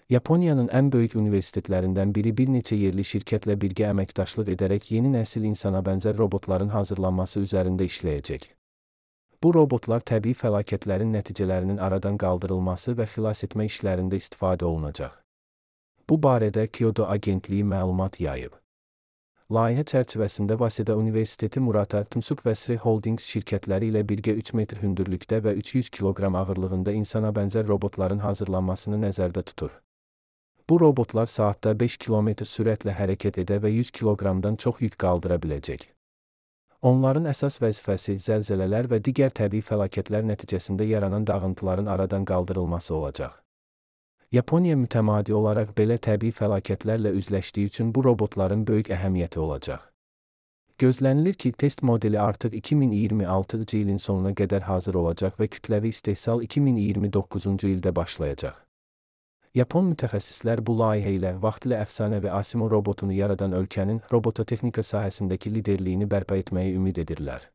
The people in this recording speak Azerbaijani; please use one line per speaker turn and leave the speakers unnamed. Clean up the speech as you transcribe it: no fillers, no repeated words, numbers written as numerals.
Yaponiyanın ən böyük universitetlərindən biri bir neçə yerli şirkətlə birgə əməkdaşlıq edərək yeni nəsil insana bənzər robotların hazırlanması üzərində işləyəcək. Bu robotlar təbii fəlakətlərin nəticələrinin aradan qaldırılması və xilas etmə işlərində istifadə olunacaq. Bu barədə Kyoto agentliyi məlumat yayıb. Layihə çərçivəsində Waseda Universiteti Murata Tsusuk və Sri Holdings şirkətləri ilə birgə 3 metr hündürlükdə və 300 kiloqram ağırlığında insana bənzər robotların hazırlanmasını nəzərdə tutur. Bu robotlar saatda 5 km sürətlə hərəkət edə və 100 kiloqramdan çox yük qaldıra biləcək. Onların əsas vəzifəsi zəlzələlər və digər təbii fəlakətlər nəticəsində yaranan dağıntıların aradan qaldırılması olacaq. Yaponiya mütəmadi olaraq belə təbii fəlakətlərlə üzləşdiyi üçün bu robotların böyük əhəmiyyəti olacaq. Gözlənilir ki, test modeli artıq 2026-cı ilin sonuna qədər hazır olacaq və kütləvi istehsal 2029-cu ildə başlayacaq. Yapon mütəxəssislər bu layihə ilə vaxtilə əfsanəvi Asimo robotunu yaradan ölkənin robototexnika sahəsindəki liderliyini bərpa etməyi ümid edirlər.